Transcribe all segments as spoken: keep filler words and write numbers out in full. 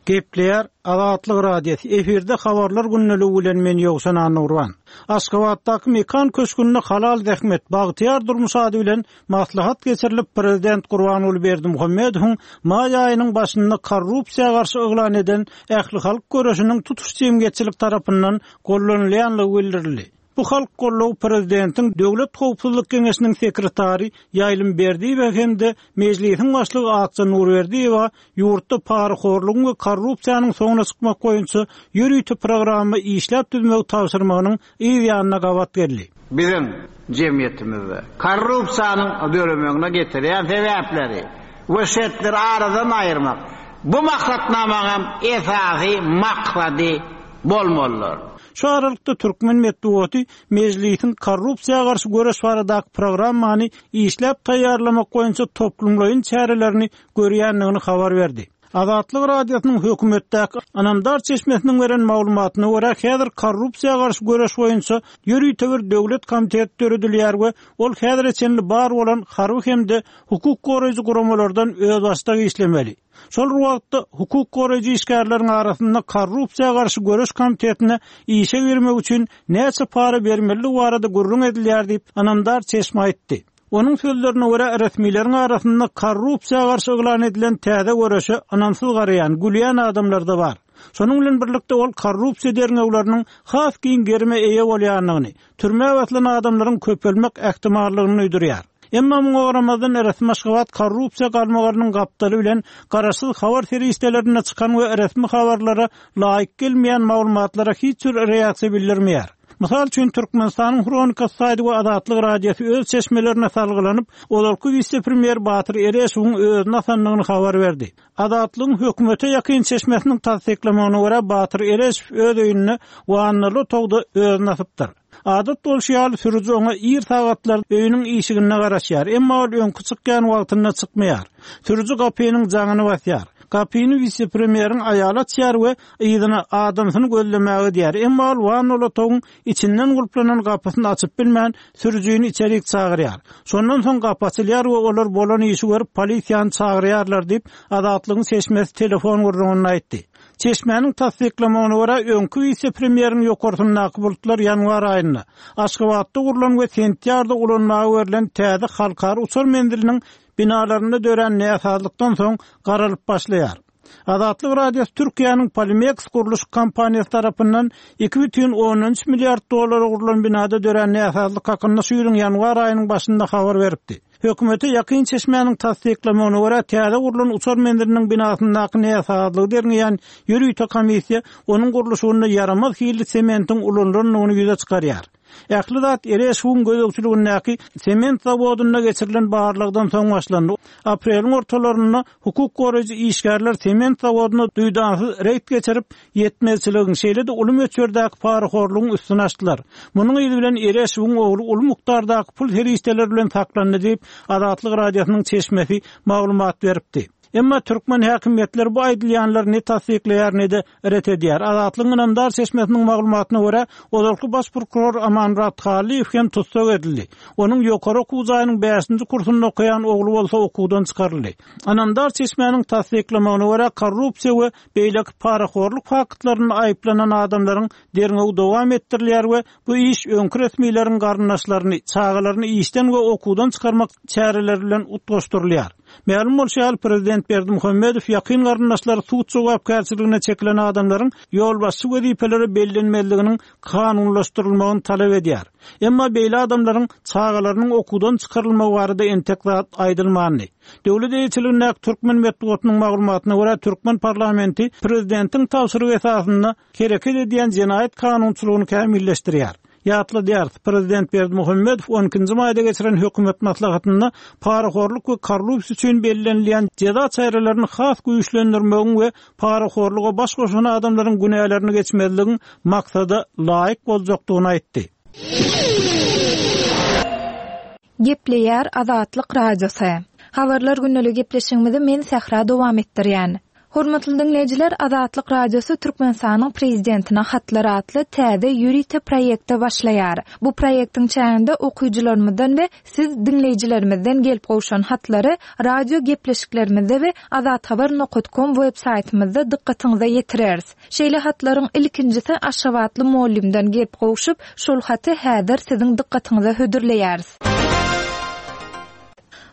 Gepleýär Azatlyk Radiosy. Efirde habarlar gündeligi bilen men Ýowşan Annurban. Aşgabatdaky Mekan köşgünde halal zähmet, bagtyýar durmuş ady bilen maslahat geçirilip, Prezident Gurbanguly Berdimuhamedowyň maý aýynyň başynda korrupsiýa garşy yglan eden ählihalk göreşiniň tutuş jemgyýetçilik tarapyndan gollanylýanlygy bildirildi. Bu halk gollugy prezidentiň Döwlet howpsuzlyk geňeşiniň sekretary Ýaýlym Berdiýewe hem-de Mejlisiň başlygy Akja Nurberdiýewa ýurtda parahorlugyň we korrupsiýanyň soňuna çykmak boýunça ýörite programma işläp düzmegi tabşyrmagynyň yz ýanyna gabat geldi. Biziň jemgyýetimizde korrupsiýanyň döremegine getirýän sebäpleri we şertleri aradan aýyrmak bu maksatnamanyň esasy maksady bolmalydyr. Şu aralykda türkmen metbugaty Mejlisiň korrupsiýa garşy göreş baradaky programmany işläp taýýarlamak boýunça toplumlaýyn çärelerini görýändigini habar berdi. Azatlyk Radiosynyň hökümetdäki ynamdar çeşmesiniň beren maglumatyna görä, häzir korrupsiýa garşy göreş boýunça ýörite bir döwlet komiteti döredilýär we ol häzire çenli bar bolan harby hem-de hukuk goraýjy guramalardan özbaşdak işlemeli. Şol wagtda hukuk goraýjy işgärleriň arasynda korrupsiýa garşy göreş komitetine işe girmek üçin näçe para bermeli barada gürrüň edilýär diýip, ynamdar çeşme aýtdy. Onuň sözlerine görä, resmileriň arasynda korrupsiýa garşy yglan edilen täze göreşe ynamsyz garaýan, gülýän adamlar da bar. Şonuň bilen birlikde ol korrupsiýa derňewleriniň has giň gerime eýe bolýandygyny, türmä basylan adamlaryň köpelmek ähtimallygyny duýdurýar. Emma muňa garamazdan resmi Aşgabat korrupsiýa galmagalynyň gapdaly bilen garaşsyz habar serişdelerinde çykan we resmi habarlara laýyk gelmeýän maglumatlara hiç bir reaksiýa bildirmeýär. Mysal üçin Türkmenistanyň Hronika saýty we Azatlyk Radiosy öz çeşmelerine salgylanyp, ozalky wise-premýer Batyr Ereşowyň özüni asandygyny habar berdi. Azatlygyň hökümete ýakyn çeşmesiniň tassyklamagyna görä Batyr Ereşow öz öýünde wannaly otagda özüni asypdyr. Adat bolşy ýaly sürüji oňa ir sagatlar öýüniň işiginde garaşýar, emma ol öňki çykýan wagtynda çykmaýar. Sürüji gapynyň jaňyny basýar. Gapyny wise-premýeriň aýaly açýar we yzyna adamsyny gözlemäge diýär. Emma ol wannaly otagyň içinden gulplanan gapysyny açyp bilmän sürüjini içerik çagyrýar. Şondan soň gapy açylýar we olar bolan işi görüp polisiýany çagyrýarlar diýip Azatlygyň çeşmesi telefon gürrüňinde aýtdy. Çeşmäniň tassyklamagyna görä öňki wise-premýeriň ýokarsyndaky bulutlar ýanwar aýynda Aşgabatda gurlan we sentýabrda ulanmaga berlen täze halkara uçar menziliniň binalarynda dörän näsazlykdan soň garalyp başlaýar. Azatlyk Radiosy Türkiýäniň Polimex gurluş kompaniýasy tarapyndan iki bütin ondan üç milliard dollara gurlan binada dörän näsazlyk hakynda şu ýylyň ýanwar aýynyň başynda habar beripdi. Hökümete ýakyn çeşmäniň tassyklamagyna görä täze gurlan uçar menziliniň binasyndaky näsazlygy derňeýän ýörite komissiýa onuň gurluşygynda ýaramaz hilli sementiň ulanylandygyny ýüze çykarýar. Ähli zat Ereşowyň gözegçiligindäki sement zawodynda geçirilen barlagdan soň başlandy. Apreliň ortalarynda hukuk goraýjy işgärler sement zawodyna duýdansyz reýd geçirip, ýetmezçiligiň, şeýle-de uly möçberdäki parahorlugyň üstüni açdylar. Munuň yzy bilen Ereşowyň ogly uly mukdardaky pul serişdeleri bilen saklandy diýip, Azatlyk Radiosynyň çeşmesi maglumat beripdi. Emma türkmen häkimiýetleri bu aýdylýanlary ne tassyklaýar, ne-de ret edýär. Azatlygyň ynamdar çeşmesiniň maglumatyna görä, ozalky baş prokuror Amanmurad Hallyýew hem tussag edildi. Onuň ýokary okuw jaýynyň bäşinji kursunda okaýan ogly bolsa okuwdan çykaryldy. Ynamdar çeşmäniň tassyklamagyna görä, korrupsiýa we beýleki parahorluk faktlarynda aýyplanan adamlaryň derňewi dowam etdirilýär we bu iş öňki resmileriň garyndaşlaryny, çagalaryny işden we okuwdan çykarmak çäreleri bilen utgaşdyrylýar. Mälim bolşy ýaly, prezident Berdimuhamedow ýakyn garyndaşlary sud jogapkärçiligine çekilen adamlaryň ýolbaşçy wezipelere bellenmezliginiň kanunlaşdyrylmagyny talap edýär. Emma beýle adamlaryň çagalarynyň okuwdan çykarylmagy barada entek zat aýdylmandy. Döwlet eýeçiligindäki türkmen metbugatynyň maglumatyna görä, türkmen parlamenti prezidentiň tabşyrygy esasynda hereket edýän jenaýat kanunçylygyny kämilleşdirýär. Ýatladýarys, prezident Berdimuhamedow on ikinji maýda geçiren hökümet maslahatynda parahorluk we korrupsiýa üçin bellenilýän jeza çärelerini has güýçlendirmegiň we parahorluga baş goşan adamlaryň günälerini geçmezligiň maksada laýyk boljakdygyny aýtdy. Gepleýär Azatlyk Radiosy. Habarlar gündelik gepleşigimizi men Sähra dowam etdirýän. Hormatly diňleýjiler, Azatlyk Radiosy Türkmenistanyň Prezidentine hatlar atly täze ýörite proýekte başlaýar. Bu proýektiň çäginde okyjylarymyzdan we siz diňleýjilerimizden gelip gowşan hatlary radio gepleşiklerimizde we azathabar nokat kom web saýtymyzda dykgatyňyza ýetireris. Şeýle hatlaryň ilkinjisi Aşgabatly mugallymdan gelip gowşup, şol haty häzir siziň dykgatyňyza hödürleýäris.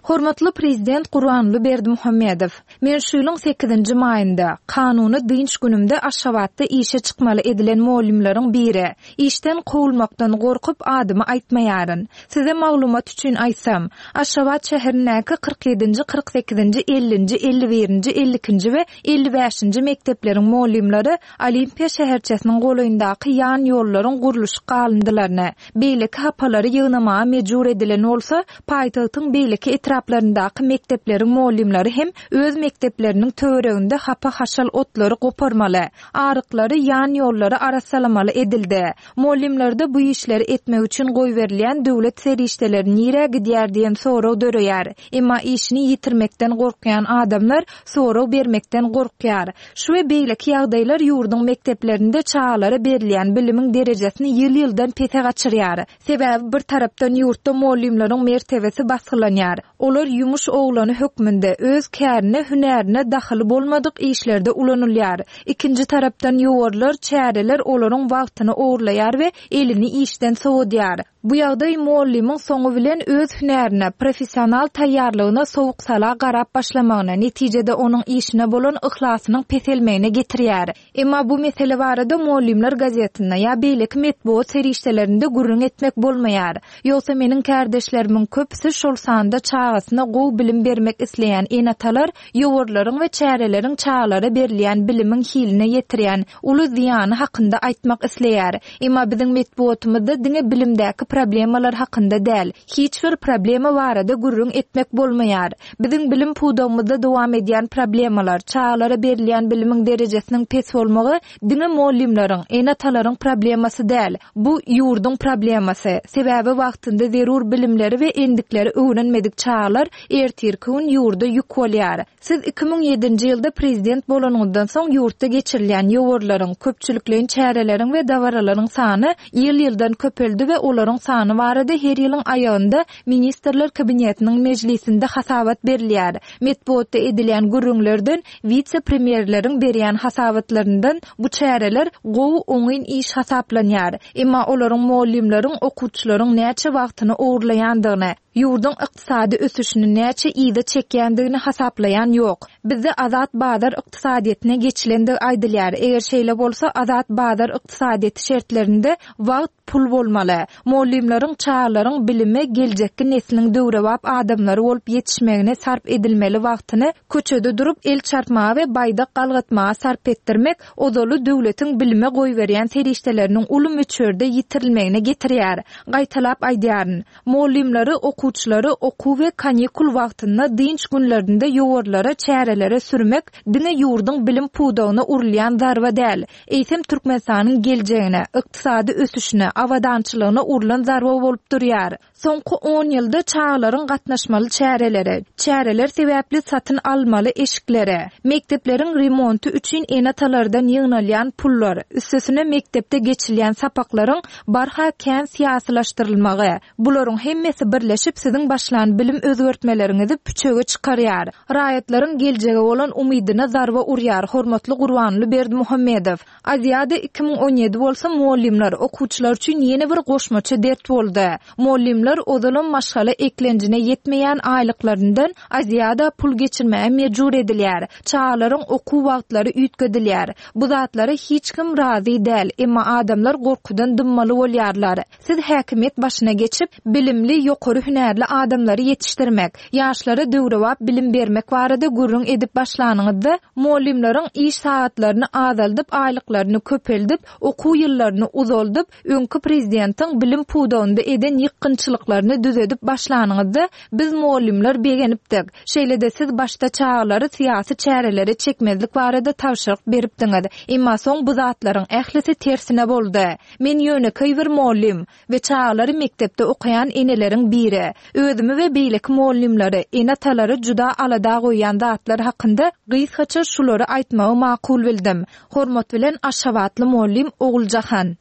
Hormatly Prezident Gurbanguly Berdimuhamedow, men şu ýylyň sekizinji maýynda, kanuny dynç günümde Aşgabatda işe çykmaly edilen mugallymlaryň biri. Işden kowulmakdan gorkup adymy aýtmaýaryn. Size maglumat üçin aýtsam, Aşgabat şäherindäki kyrk ýedinji, kyrk sekizinji, ellinji, elli birinji, elli ikinji we elli bäşinji mekdepleriň mugallymlary Olimpiýa şäherçesiniň golaýyndaky ýan ýollaryň gurluşyk galyndylaryny, beýleki hapalary ýygnamaga mejbur edilen bolsa, paýtagtyň beýleki etraplaryndaky mekdepleriň mugallymlary hem öz mekdepleriniň töwereginde hapa-haşal otlary goparmaly, aryklary, ýan ýollary arassalamaly edildi. Mugallymlarda bu işleri etmek üçin goýberilýän döwlet serişdeleri nirä gidýär diýen sorag döreýär. Emma işini ýitirmekden gorkýan adamlar sorag bermekden gorkýar. Şu we beýleki ýagdaýlar ýurduň mekdeplerinde çagalara berilýän bilimiň derejesini ýyl-ýyldan pese gaçyrýar. Sebäbi bir tarapdan ýurtda mugallymlaryň mertebesi basgylanýar. Olar ýumuş oglany hökmünde öz kärine, hünärine dahyly bolmadyk işlerde ulanylýar. Ikinji tarapdan ýowarlar, çäreler olaryň wagtyny ogurlaýar we elini işden sowadýar. Bu ýagdaý mugallymyň soňy bilen öz hünärine, professional taýýarlygyna sowuk-sala garap başlamagyna, netijede onuň işine bolan yhlasynyň peselmegine getirýär. Emma bu mesele barada Mugallymlar gazetinde ýa beýleki metbugat serişdelerinde gürrüň etmek bolmaýar. Ýogsa meniň kärdeşlerimiň köpüsi, şol sanda çagasyna gowy bilim bermek isleýän ene-atalar ýowarlaryň we çäreleriň çagalara berilýän bilimiň hiline ýetirýän uly zyýany hakynda aýtmak isleýär. Emma biziň metbugatymyzda diňe bilimdäki problemalar hakynda däl, hiç bir problema barada gürrüň etmek bolmaýar. Biziň bilim pudagymyzda dowam edýän problemalar, çagalara berilýän bilimiň derejesiniň pes bolmagy diňe mugallymlaryň, ene-atalaryň problemasy däl, bu ýurduň problemasy. Sebäbi wagtynda zerur bilimleri we endikleri öwrenmedik çagalar ertirki gün ýurda ýük bolýar. Siz iki müň ýedinji ýylda prezident bolanyňyzdan soň ýurtda geçirilýän ýowarlaryň, köpçülikleýin çäreleriň we dabaralaryň sany ýyl-ýyldan köpeldi we olaryň sany barada her ýylyň aýagynda Ministrler Kabinetiniň mejlisinde hasabat berilýär. Metbugatda edilýän gürrüňlerden, wise-premýerleriň berýän hasabatlaryndan bu çäreler gowy oňyn iş hasaplanýar. Emma olaryň mugallymlaryň, okuwçylaryň näçe wagtyny ogurlaýandygyny, ýurduň ykdysady ösüşini näçe yza çekýändigini hasaplaýan ýok. Bizde azat bazar ykdysadyýetine geçilendigi aýdylýar. Eger şeýle bolsa, azat bazar ykdysadyýeti şertlerinde wagt pul bolmaly. Mugallymlaryň, çagalaryň bilime, geljekki nesliň döwrebap adamlary bolup ýetişmegine sarp edilmeli wagtyny köçede durup el çarpmaga we baýdak galgatmaga sarp etdirmek ozaly döwletiň bilime goýberýän serişdeleriniň uly möçberde ýitirilmegine getirýär. Gaýtalap aýdýaryn. Mugallymlary, okuwçylary okuw we kanikul wagtynda dynç günlerinde ýowarlara, çärelere sürmek diňe ýurduň bilim pudagyna urulýan zarba däl, eýsem Türkmenistanyň geljegine, ykdysady ösüşine, abadançylygyna urlan zarba bolup durýar. Soňky on ýylda çagalaryň gatnaşmaly çäreleri, çäreler sebäpli satyn almaly eşikleri, mekdepleriň remonty üçin ene-atalardan ýygnalýan pullar, üstesine mekdepde geçilýän sapaklaryň barha kän syýasylaşdyrylmagy, bularyň hemmesi birleşip siziň başlan bilim özgertmeleriňizi püçege çykarýar. Raýatlaryň geljege bolan umydyna zarba urýar, hormatly Gurbanguly Berdimuhamedow. Aziada iki müň on ýedi bolsa mugallymlar, okuwçylar üçin ýene bir goşmaça dert boldy. Mugallymlar ozalam maşgala eklenjine ýetmeýän aýlyklaryndan Aziada pul geçirmäge mejbur edilýär. Çagalaryň okuw wagtlary üýtgedilýär. Bu zatlara hiç kim razy däl, emma adamlar gorkudan dymmaly bolýarlar. Siz häkimiýet başyna geçip, bilimli, ýokary hünärli adamlary ýetişdirmek, ýaşlara döwrebap bilim bermek barada gürrüň edip başlanyňyzda, mugallymlaryň iş sagatlaryny azaldyp, aýlyklaryny köpeldip, okuw ýyllaryny uzaldyp, öňki prezidentiň bilim pudagynda eden ýykgynçylyklaryny düzedip başlanyňyzda, biz mugallymlar begenipdik. Şeýle-de siz başda çagalary syýasy çärelere çekmezlik barada tabşyryk beripdiňiz. Emma soň bu zatlaryň ählisi tersine boldy. Men ýönekeý bir mugallym we çagalary mekdepde okaýan eneleriň biri. geldi. Özümi we beýleki mugallymlary, ene-atalary juda alada goýýan zatlar hakynda gysgaça şulary aýtmagy makul bildim. Hormat bilen Aşgabatly mugallym Oguljahan.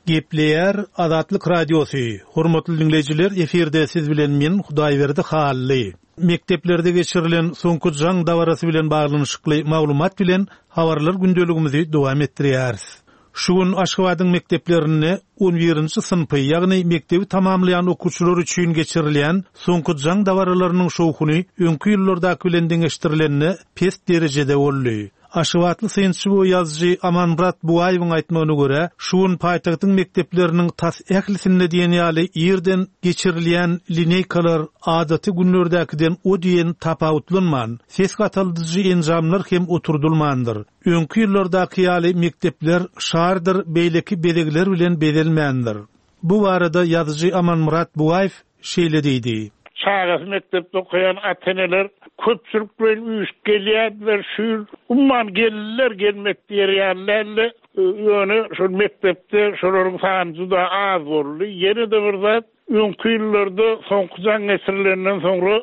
Gepleýär Azatlyk Radiosy. Hormatly dinleýjiler, efirde siz bilen men Hudaýberdi Hally. Mekdeplerde geçirilen soňky jaň dabarasy bilen baglanyşykly maglumat bilen habarlar gündeligimizi dowam etdirýäris. Şu gün Aşgabadyň mekdeplerinde on birinji synpy, ýagny mekdebi tamamlaýan okuwçylar üçin geçirilýän soňky jaň dabaralarynyň şowhuny öňki ýyllardaky bilen deňeşdirilende pes derejede boldy. Aşgabatly synçy we ýazyjy Amanmyrat Bugaýewiň aýtmagyna görä, şu gün paýtagtyň mekdepleriniň tas ählisinde diýen ýaly ýerden geçirilýän lineýkalar adaty günlerdäkiden o diýen tapawutlanman, ses gataldyjy enjamlar hem oturdulmandyr. Öňki ýyllardaky ýaly mekdepler şardyr beýleki bezegler bilen bezelmändir. Bu barada ýazyjy Amanmyrat Bugaýew şeýle diýdi. Çagasy mekdepde okaýan ata-eneler köpçülik bilen üýşüp gelýärdiler. Şu ýyl umuman gelinler gelmek diýerlerle, ýöne şol mekdepde şolaryň sany juda az boldy. Ýene-de bir zat, öňki ýyllarda soňky jaň geçirilenden soňra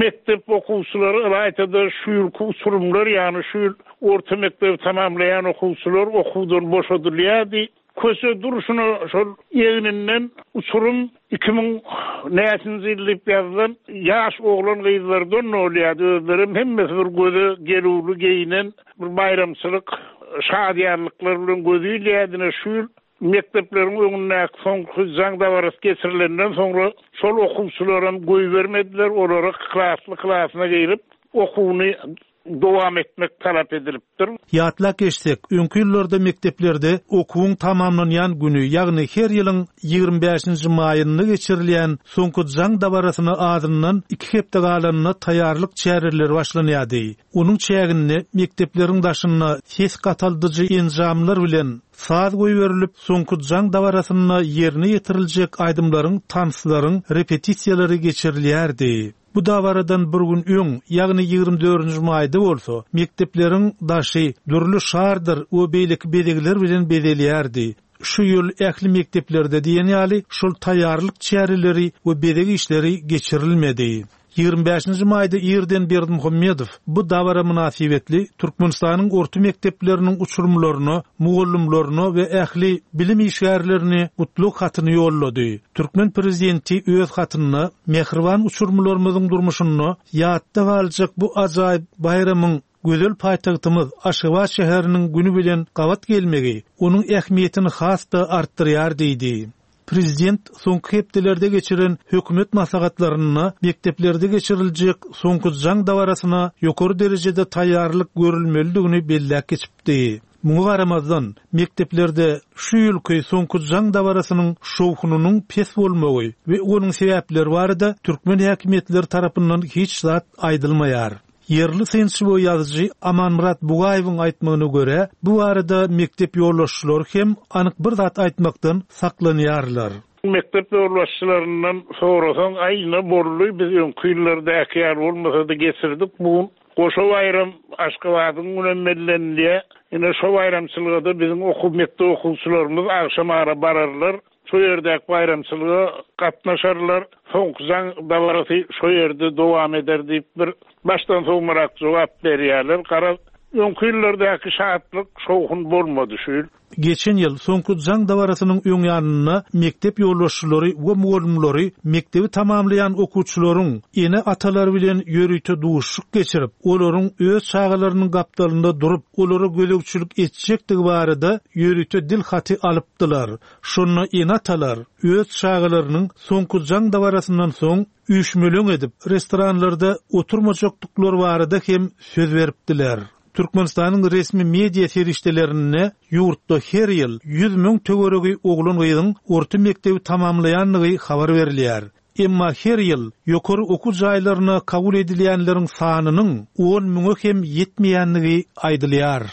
mekdep okuwçylary ylaýtada şu ýylky uçurymlar, ýagny şu ýyl orta mekdebi tamamlaýan okuwçylar okuwdan boşadylýardy. Köçe durşuna şol egninden uçurum iki müň näçinji ýyl diýip ýazylan ýaş oglan gyzlardan bolýardy. Özlerem hemmesi bir göze gelüwli geýinen bir baýramçylyk şadyýanlyklar bilen gözi ilýärdi. Şu ýyl mekdepleriň öňündäki soňky jaň dabarasy geçirilenden soňra şol okuwçylaram goýbermediler. Olara klasly klasyna girip okuwyny dowam etmek talap edilipdir. Ýatlap geçsek, öňki ýyllarda mekdeplerde okuwyň tamamlanýan güni, ýagny her ýylyň ýigrimi bäşinji maýynda geçirilýän soňky jaň dabarasyna azyndan iki hepde galanyna taýýarlyk çäreleri başlanýardy. Onuň çäginde mekdepleriň daşynda ses gataldyjy enjamlar bilen saz goýberilip, soňky jaň dabarasynda ýerine ýetiriljek aýdymlaryň, tanslaryň repetisiýalary geçirilýärdi. Bu dabaradan bir gün öň, ýagny ýigrimi dördünji maýda bolsa, mekdepleriň daşy dürli şardyr we beýleki bezegler bilen bezelýärdi. Şu ýyl ähli mekdeplerde diýen ýaly şol taýýarlyk çäreleri we bezeg işleri geçirilmedi. Ýigrimi bäşinji maýda ýerden Berdimuhamedow bu dabara mynasybetli Türkmenistanyň orta mekdepleriniň uçurymlaryna, mugallymlaryna we ähli bilim işgärlerine gutlag hatyny ýollady. Türkmen prezidenti öz hatynda mähriban uçurymlarymyzyň durmuşynda ýatda galjak bu ajaýyp baýramyň gözel paýtagtymyz Aşgabat şäheriniň günü bilen gabat gelmegi onuň ähmiýetini has-da artdyrýar diýdi. Prezident soňky hepdelerde geçiren hökümet maslahatlarynda mekdeplerde geçiriljek soňky jaň dabarasyna ýokary derejede taýýarlyk görülmelidigini belläp geçipdi. Muňa garamazdan, mekdeplerde şu ýylky soňky jaň dabarasynyň şowhunynyň pes bolmagy we onuň sebäpleri barada türkmen häkimiýetleri tarapyndan hiç zat aýdylmaýar. Ýerli synçy we ýazyjy Amanmyrat Bugaýewiň aýtmagyna görä, bu barada mekdep ýolbaşçylary hem anyk bir zat aýtmakdan saklanýarlar. Mekdep ýolbaşçylaryndan sorasaň, aý, ne boldy, biz öňki ýyllardaky ýaly bolmasa-da geçirdik bu gün. Goşa baýram Aşgabadyň günem bellenilýär. Ine şo baýramçylyga-da biziň okuw mekdep okuwçylarymyz agşam ara bararlar. Şo ýerdäki baýramçylyga gatnaşarlar. Soňky jaň dabarasy şo ýerde dowam eder diýip bir başdan soňrak jogap berýärler. Gara öňki ýyllardaky şatlyk şowhun bolmady şu ýyl. Geçen ýyl soňky jaň dabarasynyň öň ýanynda mekdep ýolbaşçylary we mugallymlary mekdebi tamamlaýan okuwçylaryň ene-atalary bilen ýörite duşuşyk geçirip, olaryň öz çagalarynyň gapdalynda durup, olara gözegçilik etjekdigi barada ýörite dil haty alypdylar. Şonda ene-atalar öz çagalarynyň soňky jaň dabarasyndan soň üýşmeleň edip, restoranlarda oturmajakdyklary barada hem söz beripdiler. Türkmenistanyň resmi media serişdelerinde ýurtda her ýyl ýüz müň töweregi oglan gyzyň orta mekdebi tamamlaýandygy habar berilýär. Emma her ýyl ýokary okuw jaýlaryna kabul edilýänleriň sanynyň on müňe hem ýetmeýändigi aýdylýar.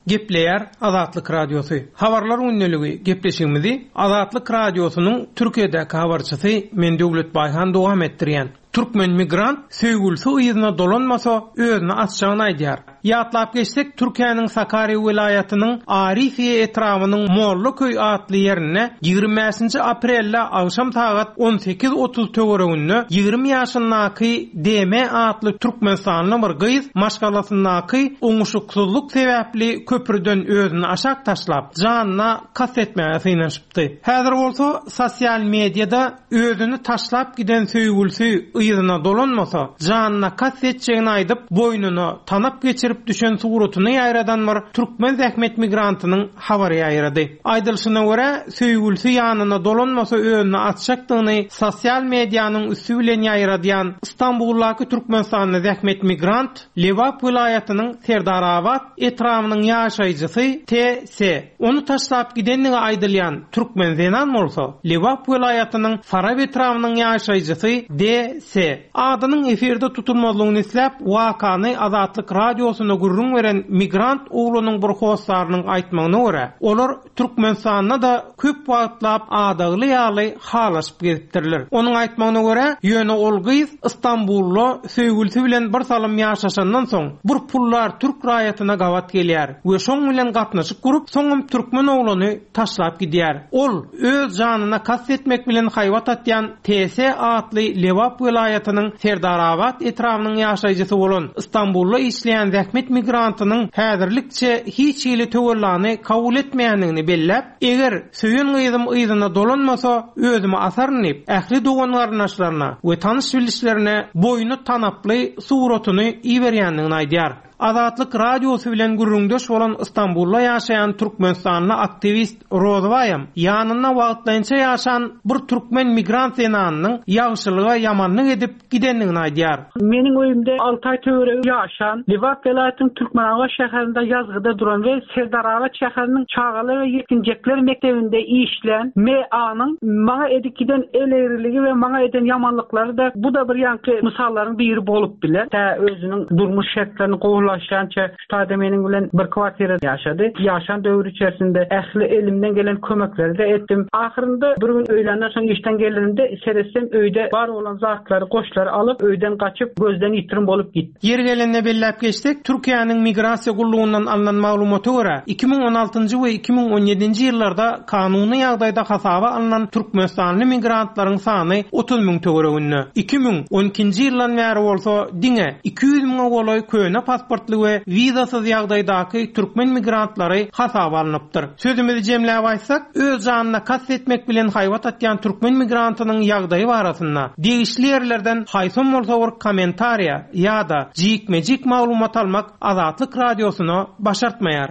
Gepleýär Azatlyk Radiosy. Habarlar gündeligi gepleşigimizi Azatlyk Radiosynyň Türkiýedäki habarçysy men Döwlet Baýhan dowam etdirýän. Türkmen migrant söýgülsi yzyna dolanmasa özüni asjagyny aýdýar. Ýatlap geçsek, Türkiýäniň Sakarya welaýatynyň Arifiye etrabynyň Mollaköý atly ýerinde ýigrimi bäşinji aprelde agşam sagat on sekiz otuz töwereginde ýigrimi ýaşyndaky D M atly Türkmenistanly bir gyz maşgalasyndaky oňuşuksyzlyk sebäpli köprüden özüni aşak taşlap, janyna kast etmäge synanyşypdy. Häzir bolsa sosial mediada özüni taşlap giden söýgülsi yzyna dolanmasa, janyna kast etjegini aýdyp, boýnuna tanap geçirip düşen suratyny ýaýradan bir türkmen zähmet migrantynyň habary ýaýrady. Aýdylyşyna görä, söýgülsi ýanyna dolanmasa özüni atjakdygyny sosial medianyň üstü bilen ýaýradýan İstanbuldaky Türkmenistanly zähmet migrant Lebap welaýatynyň Serdarabat etrabynyň ýaşaýjysy T S. Onu taşlap gidenligi aýdylýan türkmen zenan bolsa Lebap welaýatynyň Farap etrabynyň ýaşaýjysy D S. Adynyň efirde tutulmazlygyny isläp, wakany Azatlyk radiosyna gürrüň beren migrant oglunyň bir hossarynyň aýtmagyna görä, olar Türkmenistanda da köp wagtlap adagly ýaly halaşyp gezipdirler. Onuň aýtmagyna görä, ýöne ol gyz İstanbulda söýgülsi bilen bir salym ýaşaşandan soň bir pullar türk raýatyna gabat gelýär we şoň bilen gatnaşyk gurup, soňam türkmen ogluny taşlap gidýär. Ol öz janyna kast etmek bilen haýbat atýan T S atly Lebap welaýatynyň Serdarabat etrabynyň ýaşaýjysy bolan İstanbulda işleýän zähmet migrantynyň häzirlikçe hiç hili töwellany kabul etmeýändigini belläp, eger söýen gyzym yzyna dolanmasa, özümi asaryn diýip, ähli dogan garyndaşlaryna we tanyş bilişlerine boýny tanaply suratyny iberýändigini aýdýar. Azatlyk radiosy bilen gürrüňdeş bolan İstanbulda ýaşaýan Türkmenistanly aktiwist Rozbaýam ýanynda wagtlaýynça ýaşan bir türkmen migrant zenanynyň ýagşylyga ýamanlyk edip gidendigini aýdýar. Meniň öýümde alty aý töweregi ýaşan Lebap welaýatynyň Türkmenabat şäherinde ýazgyda duran we Serdarabat şäheriniň çagalar we ýetginjekler mekdebinde işlän M A-nyň maňa edip giden el egreligi we maňa eden ýamanlyklary da bu da bir ýanky mysallaryň biri bolup biler. Tä özüniň durmuş şertlerini gowulaşýança şu taýda meniň bilen bir kwartirada ýaşady. Ýaşan döwür içerisinde ähli elimden gelen kömekleri de etdim. Ahyrynda bir gün öýlenden soň işden gelenimde seretsem öýde bar bolan zatlary, goşlary alyp öýden gaçyp gözden ýitirim bolup gitdi. Ýeri gelende belläp geçsek, Türkiýäniň migrasiýa gullugyndan alnan maglumata görä, iki müň on altynjy we iki müň on ýedinji ýyllarda kanuny ýagdaýda hasaba alnan Türkmenistanly migrantlaryň sany otuz müň töwereginde. iki müň on ikinji ýyldan bäri bolsa diňe iki ýüz müňe golaý köne pasportly we wizasyz ýagdaýdaky türkmen migrantlary hasaba alnypdyr. Sözümizi jemläp aýtsak, öz janyna kast etmek bilen haýbat atýan türkmen migrantynyň ýagdaýy barasynda degişli ýerlerden haýsam bolsa bir kommentariýa ýa-da jikme-jik maglumat almak Azatlyk radiosyna başartmaýar.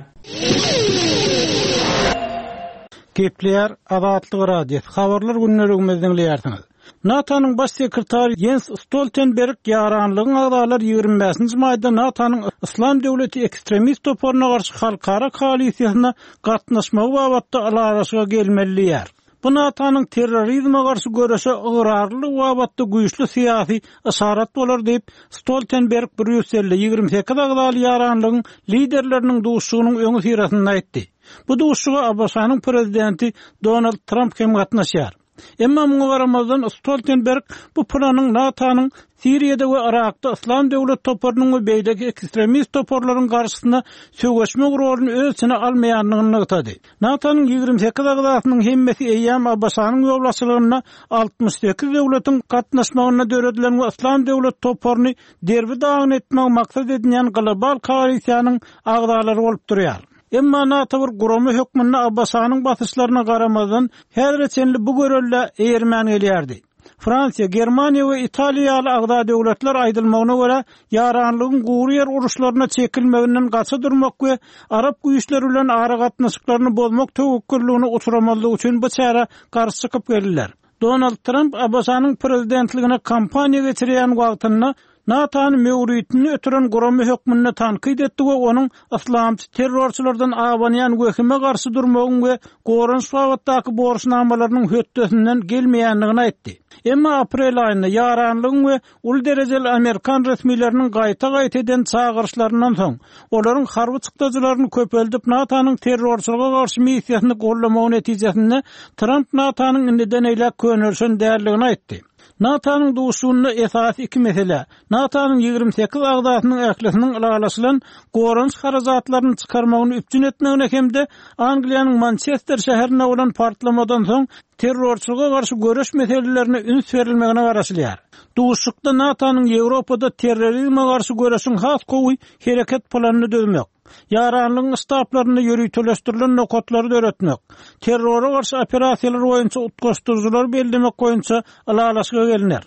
Gepleýär Azatlyk radiosy. Habarlar günlerimizi diňleýärsiňiz. NATO-nyň baş sekretary Jens Stoltenberg ýaranlygyň agzalary ýigrimi bäşinji maýda NATO-nyň Islam döwleti ekstremist toparyna garşy halkara koalisiýasyna gatnaşmagy babatda ylalaşyga gelmeli diýär. Bu NATO-nyň terrorizme garşy göreşe ygrarly babatda güýçli syýasy yşarat bolar diýip Stoltenberg Brýusselde ýigrimi sekiz agzaly ýaranlygyň liderleriniň duşuşygynyň öňi syrasynda aýtdy. Bu duşuşyga A B Ş-nyň prezidenti Donald Trump hem gatnaşýar. Emma muňa garamazdan Stoltenberg bu planyň NATO-nyň Siriýada we Irakda Islam döwlet toparynyň we beýleki ekstremist toparlaryň garşysyna söweşmek roluny öz içine almaýandygyny nygtady. NATO-nyň ýigrimi sekiz agzasynyň hemmesi eýýäm A B Ş-nyň ýolbaşçylygynda altmyş sekiz döwletiň gatnaşmagynda döredilen we Islam döwlet toparyny derbi-dagyn etmek maksat edinýän global koalisiýanyň agzalary bolup durýar. Emma NATO bir gurama hökmünde A B Ş-nyň basyşlaryna garamazdan häzire çenli bu görelde eýermän gelýärdi. Fransiýa, Germaniýa we Italiýa ýaly agza döwletler aýdylmagyna görä, ýaranlygyň gury ýer uruşlaryna çekilmeginden gaça durmak we arap güýçleri bilen ara gatnaşyklaryny bozmak töwekgelligini uçuramazlyk üçin bu çärä garşy çykyp geldiler. Donald Trump A B Ş-nyň prezidentligine kampaniýa geçirýän wagtynda NATO-ny möwritini ötüren gurama hökmünde tankyt etdi we onuň islamçy terrorçylardan abanýan wehime garşy durmagyň we goranyş babatdaky borçnamalarynyň hötdesinden gelmeýändigini aýtdy. Emma aprel aýynda ýaranlygyň we uly derejeli Amerikan resmileriniň gaýta-gaýta eden çagyryşlaryndan soň, olaryň harby çykdajylaryny köpeldip NATO-nyň terrorçylyga garşy missiýasyny gollamagy netijesinde Trump NATO-nyň indiden eýläk könelişen däldigini aýtdy. NATO-nyň duşuşygynda esasy iki mesele, NATO-nyň ýigrimi sekiz agzasynyň ählisiniň ylalaşylan goranyş harajatlaryny çykarmagyny üpjün etmegine hem-de Angliýanyň Mançester şäherinde bolan partlamadan soň terrorçylyga garşy göreş meselelerine üns berilmegine garaşylýar. Duşuşykda NATO-nyň Ýewropada terrorizme garşy göreşiň has gowy hereket planyny düzmek, ýaranlygyň ştablarynda ýöriteleşdirilen nokatlary döretmek, terrora garşy operasiýalar boýunça utgaşdyryjylary bellemek boýunça ylalaşyga gelner.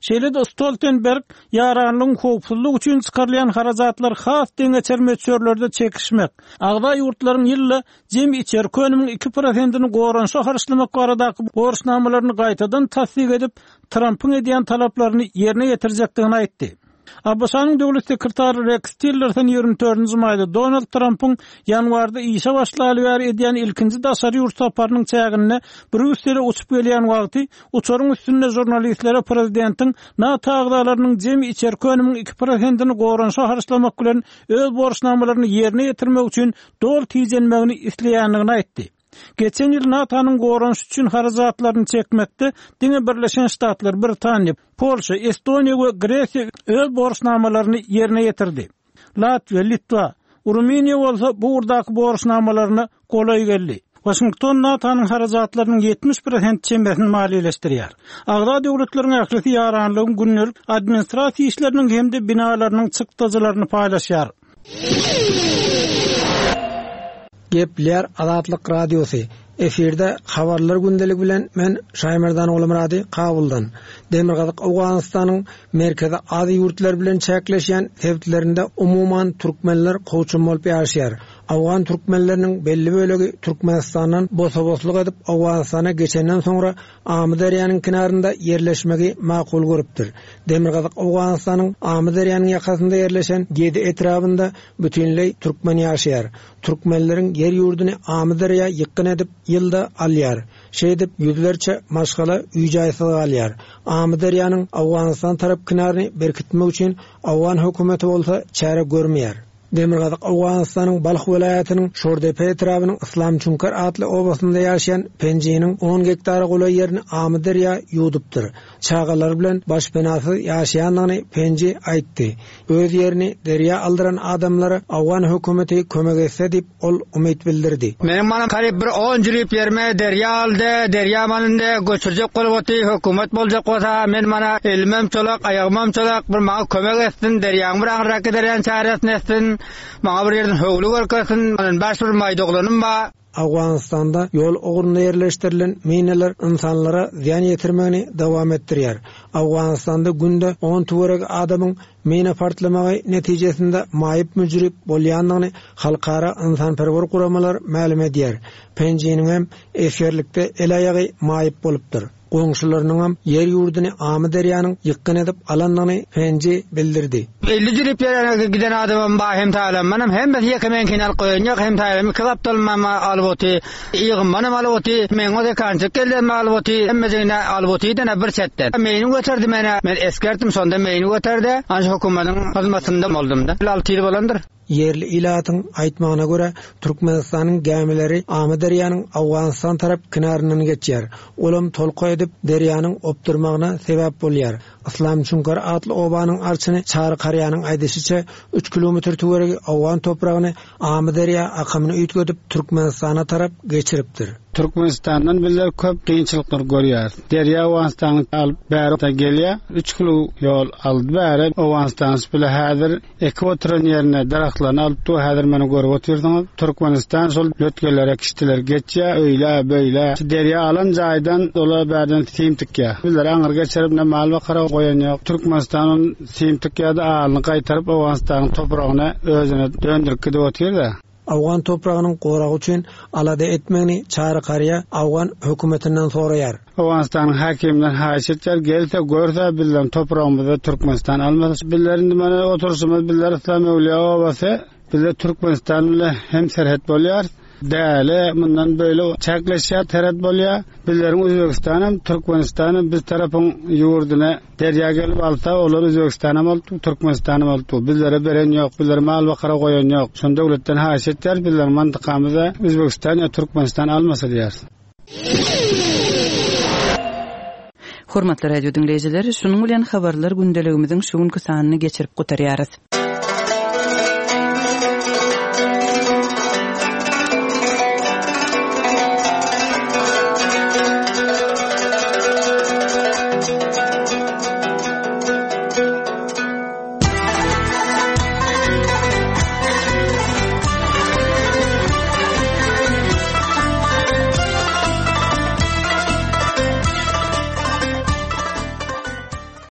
Şeýle-de Stoltenberg ýaranlygyň howpsuzlygy üçin çykarylýan harajatlar has deňeçer möçberlerde çekişmek, agza ýurtlaryň ýylda jemi içerki önümiň iki prosentini goranyşa harçlamak baradaky borçnamalaryny gaýtadan tassyk edip, Trampyň edýän talaplaryny ýerine ýetirjekdigini aýtdy. ABŞ-nyň döwlet sekretary Reks Tillerson ýigrimi dördünji maýda Donald Trampyň ýanwarda işe başlaly bäri edýän ilkinji daşary ýurt saparynyň çäginde Brýussele uçup gelýän wagty uçaryň üstünde žurnalistlere prezidentiň NATO agzalarynyň jemi içerki önümiň iki prosentini goranyşa harçlamak bilen öz borçnamalaryny ýerine ýetirmek üçin doly tijenmegini isleýändigini aýtdy. Geçen ýyl NATO-nyň goranyş üçin harajatlaryny çekmekde diňe Birleşen Ştatlar, Britaniýa, Polşa, Estoniýa we Gresiýa öz borçnamalaryny ýerine ýetirdi. Latwiýa, Litwa, Rumyniýa bolsa bu ugurdaky borçnamalaryna golaý geldi. Waşington NATO-nyň harajatlarynyň ýetmiş prosent çemesini maliýeleşdirýär. Agza döwletleriň ählisi ýaranlygyň gündelik administrasiýa işleriniň hem-de binalarynyň çykdajylaryny paýlaşýar. Gepler Azatlyk Radiosy. Efirde habarlar gündeligi bilen men Şaýmerdan Ogulmyrady Kabuldan. Demirgazyk Owganystanyň Merkezi Aziýa ýurtlary bilen çäkleşýän sebitlerinde umuman türkmenler kowçum bolup ýaşaýar. Awgan türkmenleriniň belli bölegi Türkmenistandan bosa-boslyk edip Owganystana geçenden soňra Amyderýanyň kenarynda ýerleşmegi makul görüpdir. Demirgazyk Owganystanyň Amyderýanyň ýakasynda ýerleşen Gedi etrabynda bütinleý türkmen ýaşaýar. Türkmenleriň ýer ýurduny Amyderýa ýykgyn edip ýylda alýar. Şeýdip ýüzlerçe maşgala üýjaýsyz galýar. Amyderýanyň Owganystan tarap kenaryny berkitmek üçin Awgan hökümeti bolsa çäre görmeýär. Demirgazyk Owganystanyň Balh welaýatynyň Şordepe etrabynyň Islam Çunkar atly obasynda ýaşaýan Penjiniň on gektara golaý ýerini Amyderýa ýuwdupdyr. Çagalar bilen başpenasyz ýaşaýandygyny Penji aýtdy. Öz ýerini derýa aldyran adamlara Awgan hökümeti kömek etse diýip ol umyt bildirdi. Meniň mana garyp bir on jülip ýerime derýa aldy, derýa manynda göçürjek bolup oty, hökümet boljak bolsa, men mana elimem çolak, aýagymam çolak, bir maňa kömek etsin, derýaň bir aňryrak giderýän çäresini etsin, maňa bir ýerden höwli görkezsin, men baş bir maýdoglanym ba. Awganystanda ýol ugrunda ýerleşdirilen mineler insanlara zyýan ýetirmegini dowam etdirýär. Awganystanda günde on töweregi adamyň mine partlamagy netijesinde maýyp müjrip bolýandygyny halkara insanperwer guramalar mälim edýär. Penjiniň hem esgerlikde el aýagy maýyp bolupdyr. Goňşularynyň hem ýer ýurduny Amyderýanyň ýykgyn edip alandygyny Penji bildirdi. Elli jülip ýerine giden adamym ba hem taýlanmanam, hem biz ýeke men kenal goýan ýok, hem taýlan iki gapdalmam alyp oty, ýygymmanam alyp oty, men o dekançyk geldim alyp oty, hemmejigine alyp oty dene bir çetden. Meýini göterdi mene, men eskerdim, sonda meýini göterdi. Anca hökümetin hyzmatynda boldum da. Altı ýyl bolandyr. Ýerli ilatyň aýtmagyna görä, Türkmenistanyň gämileri Amyderýanyň Awganystan tarap kenaryndan geçýär. Olam tolka edip derýanyň opdurmagyna sebäp bolýar. Islam Çunkar atly obanyň arçyny Çary Karýanyň aýdyşyça üç kilometr töweregi Awgan topragyny Amyderýa akamyny üýtgedip Türkmenistana tarap geçiripdir. Türkmenistandan bizler köp kynçylyklar görýär. Derýa Awganystanyň alyp bäri gelýär. Üç kilo ýol aldy bäri Awganystan bile häzir ekip oturan ýerine daraxtlaryny alyp dur, häzir meni görüp otyrsyňyz. Türkmenistan şol lötgelere kiştiler geçýär, öýle, beýle. Derýa alan jaýdan dola bärden sim tikýär. Bizler aňyr geçirip ne mal bakara goýan ýok. Türkmenistanyň sim tikýär-de alyny gaýtaryp Awganystanyň topragyna özüne döndürip gidip otyr-da. Awgan topragynyň goragy üçin alada etmegini Çary Karýa Awgan hökümetinden soraýar. Awganystanyň hakiminden haýyş etýär, gelse görse bizler topragymyzy Türkmenistan almaz. Bizler indi mana oturşymyz bizler Islam Öwliýa obasy, bizler Türkmenistan bilen hem serhet bolýar. Däli mundan böyle çäkleşýär, serhet bolýar. Bizleriň Özbegistan hem Türkmenistan hem biz tarapyň ýurduna derýa gelip alsa, olar Özbegistan hem aldy, Türkmenistan hem aldy. Bizlere beren ýok, bizlere mal bakara goýan ýok. Şonda döwletden haýyş etýär, bizler mantykamyza Özbegistan ýa Türkmenistan almasa diýär. Hormatly radio diňleýjiler, şunuň bilen habarlar gündeligimiziň şu günki sanyny geçirip gutarýarys.